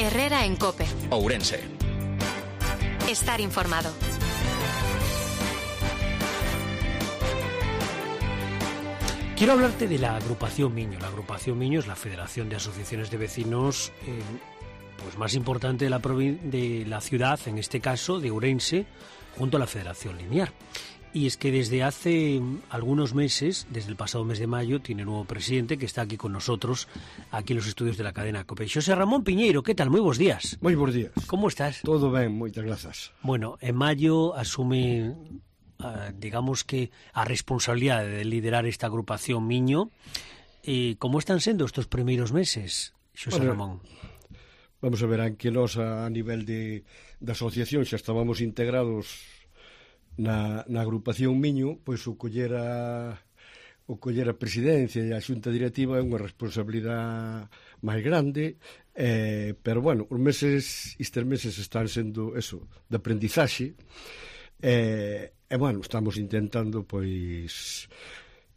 Herrera en COPE. Ourense. Estar informado. Quiero hablarte de la agrupación Miño. La agrupación Miño es la Federación de Asociaciones de Vecinos pues más importante de la ciudad, en este caso de Ourense, junto a la Federación Liniar. Y es que desde hace algunos meses, desde el pasado mes de mayo, tiene nuevo presidente que está aquí con nosotros, aquí en los estudios de la cadena COPE. Xosé Ramón Piñeiro, ¿qué tal? Muy buenos días. Moi bons días. ¿Cómo estás? Todo ben, moitas grazas. Bueno, en mayo asume, digamos que, a responsabilidade de liderar esta agrupación Miño. ¿Cómo están sendo estos primeiros meses, Xosé Ramón? Vamos a ver, que nós a nivel de asociación xa estábamos integrados na agrupación Miño, pois o coller a presidencia e a xunta directiva é unha responsabilidade máis grande, pero bueno, estes meses están sendo eso, de aprendizaxe, e bueno, estamos intentando pois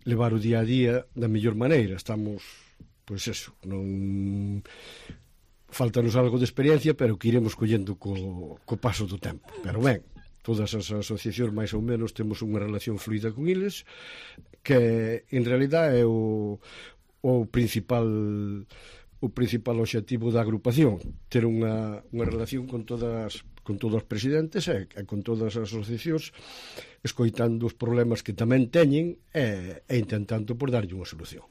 levar o día a día da mellor maneira. Estamos, pois eso, non faltanos algo de experiencia, pero que iremos collendo co paso do tempo. Pero ben, todas as asociacións máis ou menos temos unha relación fluida con eles, que en realidad é o principal obxectivo da agrupación, ter unha relación con todos os presidentes e con todas as asociacións, escoitando os problemas que tamén teñen e intentando por darlle unha solución.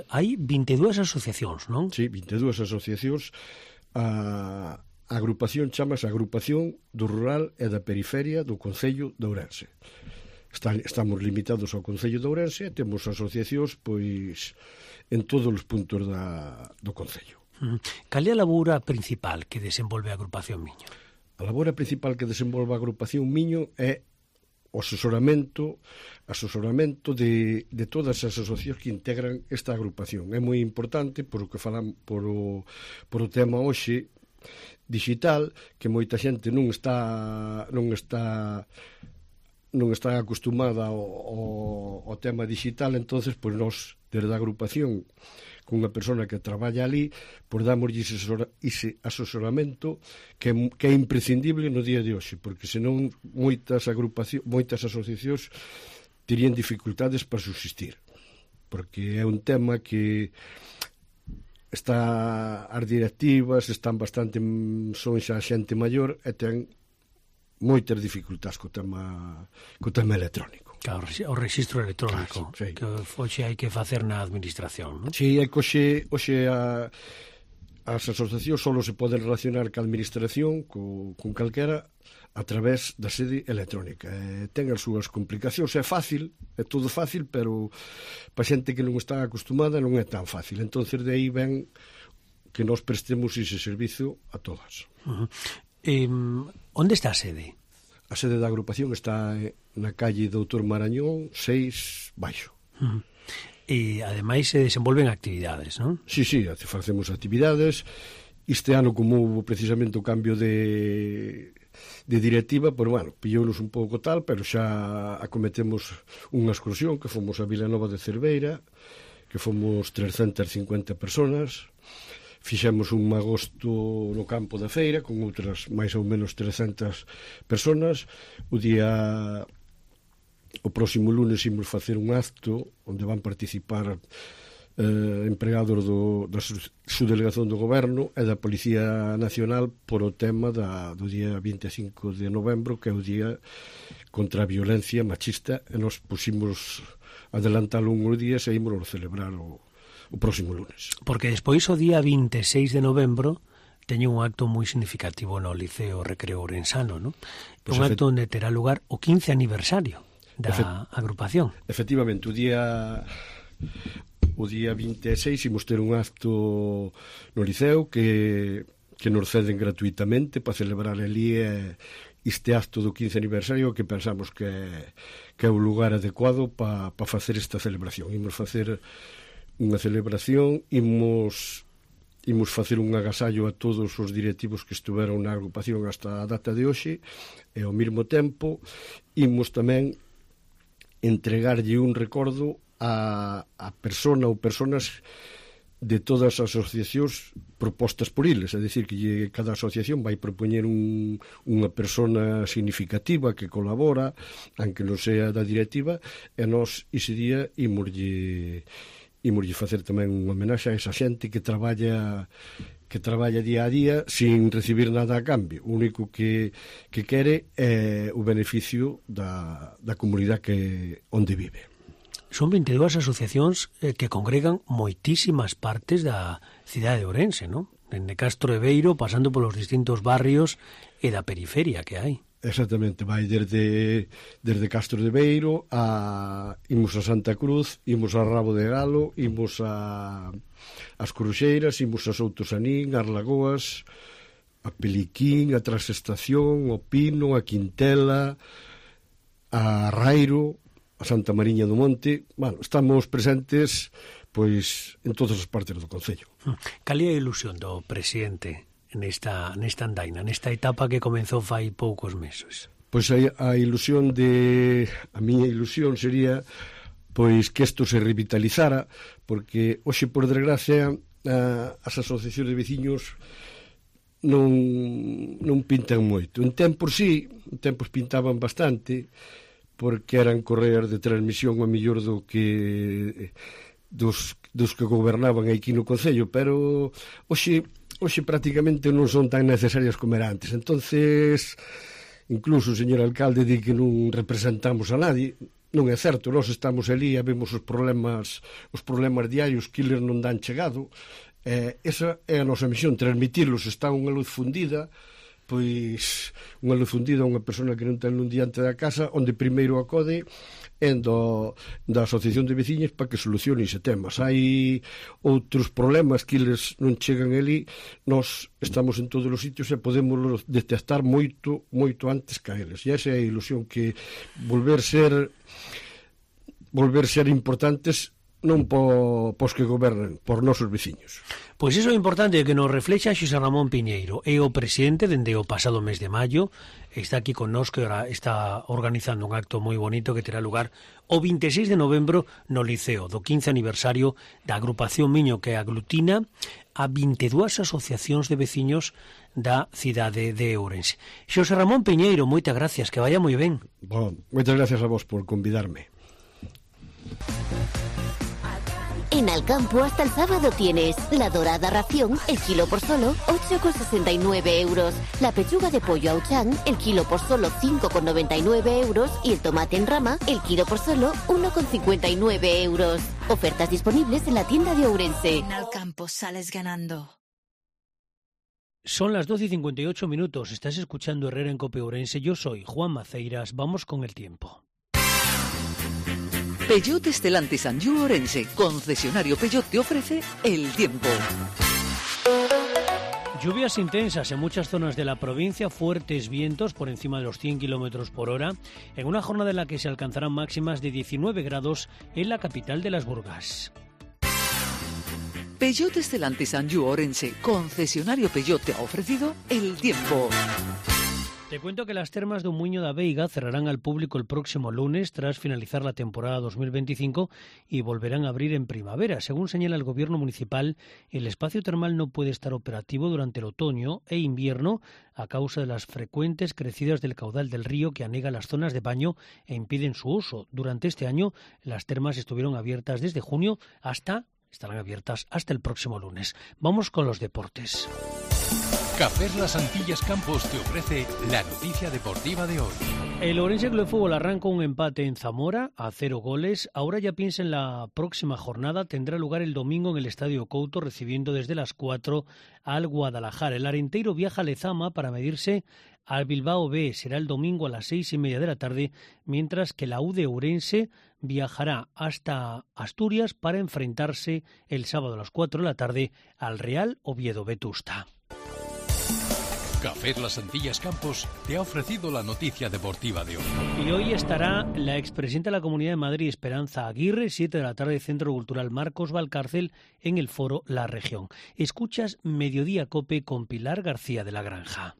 Hai 22 asociacións, non? Sí, 22 asociacións. A agrupación chamase Agrupación do Rural e da Periferia do Concello de Ourense. Estamos limitados ao Concello de Ourense e temos asociacións pois en todos os puntos do Concello. Cal é a labora principal que desenvolve a agrupación Miño? A labora principal que desenvolve a agrupación Miño é o asesoramento de todas as asociacións que integran esta agrupación. É moi importante por o que falan por o tema hoxe digital, que moita xente non está acostumada ao tema digital. Entonces, pois nós, desde a agrupación, con unha persona que traballa ali, pois damoslle ese asesoramento que é imprescindible no día de hoxe, porque senón moitas asociacións terían dificultades para subsistir, porque é un tema que as directivas están bastante, son xa xente maior e ten moitas dificultades co tema electrónico. Claro, o registro electrónico, sí. Que hoxe hai que facer na administración, non? Si, é que hoxe as asociacións só se poden relacionar ca administración, con calquera, a través da sede electrónica. Ten as súas complicacións, é fácil, é todo fácil, pero para xente que non está acostumada non é tan fácil. Entonces de aí ven que nós prestemos ese servizo a todas. Onde está a sede? A sede da agrupación está na calle Doutor Marañón 6 baixo. E ademais se desenvolven actividades, non? Sí, facemos actividades. Este ano, como houve precisamente o cambio de directiva, pois, bueno, pillounos un pouco tal, pero xa acometemos unha excursión que fomos a Vilanova de Cerveira, que fomos 350 personas. Fixemos un agosto no campo da feira con outras máis ou menos 300 personas. O próximo lunes imos facer un acto onde van participar empregados da subdelegación do Goberno e da Policía Nacional por o tema do día 25 de novembro, que é o día contra a violencia machista, e nos pusimos adelantalo uns días e ímos celebrar o próximo lunes. Porque despois o día 26 de novembro teño un acto moi significativo no Liceo Recreo Ourensano, non? Pues un acto onde terá lugar o 15 aniversario da agrupación. Efectivamente, o día 26 imos ter un acto no Liceo que nos ceden gratuitamente para celebrar ali este acto do 15 aniversario, que pensamos que é o lugar adecuado para facer esta celebración. Imos facer unha celebración, imos facer un agasallo a todos os directivos que estuveron na agrupación hasta a data de hoxe, e ao mesmo tempo imos tamén entregarlle un recordo a persona ou personas de todas as asociacións propostas por eles, é dicir, que cada asociación vai propoñer unha persona significativa que colabora, aunque non sea da directiva, e nós ese día imoslle facer tamén unha homenaxe a esa xente que traballa día a día sin recibir nada a cambio. O único que quere é o beneficio da comunidade onde vive. Son 22 asociacións que congregan moitísimas partes da cidade de Ourense, non? Dende Castro de Beiro, pasando polos distintos barrios e da periferia que hai. Exactamente, vai desde Castro de Beiro imos a Santa Cruz, imos a Rabo de Galo, imos as Cruxeiras, imos a Soutosanín, as Lagoas, a Peliquín, a Transestación, o Pino, a Quintela, a Rairo, a Santa Mariña do Monte. Bueno, estamos presentes pois en todas as partes do concello. Cal é a ilusión do presidente nesta andaina, nesta etapa que comenzou fai poucos meses? Pois a miña ilusión sería pois que isto se revitalizara, porque hoxe, por desgracia, as asociacións de veciños non pintan moito. En tempos pintaban bastante, porque eran correas de transmisión a mellor dos que gobernaban aquí no concello, pero hoxe prácticamente non son tan necesarias como era antes. Entonces, incluso o señor alcalde di que non representamos a nadie. Non é certo, nós estamos ali e vemos os problemas diarios que eles non dan chegado. Esa é a nosa misión, transmitirlos. Está unha luz fundida, pois unha luz fundida a unha persona que non ten un diante da casa, onde primeiro acode da asociación de veciñas para que solucione ese tema. Se hai outros problemas que eles non chegan ali, nós estamos en todos os sitios e podemos detectar moito antes que eles. E esa é a ilusión, que volver ser importantes non pos que gobernan, por nosos veciños. Pois iso é importante que nos reflexa Xosé Ramón Piñeiro. É o presidente dende o pasado mes de maio, está aquí connosco e está organizando un acto moi bonito que terá lugar o 26 de novembro no Liceo, do 15 aniversario da agrupación Miño, que aglutina a 22 asociacións de veciños da cidade de Ourense. Xosé Ramón Piñeiro, moitas gracias, que vaya moi ben. Bon, moitas gracias a vos por convidarme. En Alcampo hasta el sábado tienes la dorada ración, el kilo por solo 8,69 euros. La pechuga de pollo Auchan, el kilo por solo 5,99 euros. Y el tomate en rama, el kilo por solo 1,59 euros. Ofertas disponibles en la tienda de Ourense. En Alcampo sales ganando. Son las 12:58 minutos. Estás escuchando Herrera en Cope Ourense. Yo soy Juan Maceiras. Vamos con el tiempo. Peugeot Stellantis Anjou Ourense, concesionario Peugeot, te ofrece el tiempo. Lluvias intensas en muchas zonas de la provincia, fuertes vientos por encima de los 100 km por hora, en una jornada en la que se alcanzarán máximas de 19 grados en la capital de las Burgas. Peugeot Stellantis Anjou Ourense, concesionario Peugeot, te ha ofrecido el tiempo. Te cuento que las termas de Umuño da Veiga cerrarán al público el próximo lunes tras finalizar la temporada 2025 y volverán a abrir en primavera. Según señala el gobierno municipal, el espacio termal no puede estar operativo durante el otoño e invierno a causa de las frecuentes crecidas del caudal del río que anega las zonas de baño e impiden su uso. Durante este año, las termas estuvieron abiertas desde junio estarán abiertas hasta el próximo lunes. Vamos con los deportes. Cafés Las Antillas Campos te ofrece la noticia deportiva de hoy. El Ourense Club de Fútbol arranca un empate en Zamora a 0 goles. Ahora ya piensa en la próxima jornada. Tendrá lugar el domingo en el Estadio Couto, recibiendo desde las 4 al Guadalajara. El Arenteiro viaja a Lezama para medirse al Bilbao B. Será el domingo a las 6:30 de la tarde, mientras que la U de Ourense viajará hasta Asturias para enfrentarse el sábado a las 4 de la tarde al Real Oviedo Vetusta. Cafés Las Antillas Campos te ha ofrecido la noticia deportiva de hoy. Y hoy estará la expresidenta de la Comunidad de Madrid, Esperanza Aguirre, 7 de la tarde, Centro Cultural Marcos Valcárcel, en el foro La Región. Escuchas Mediodía Cope con Pilar García de la Granja.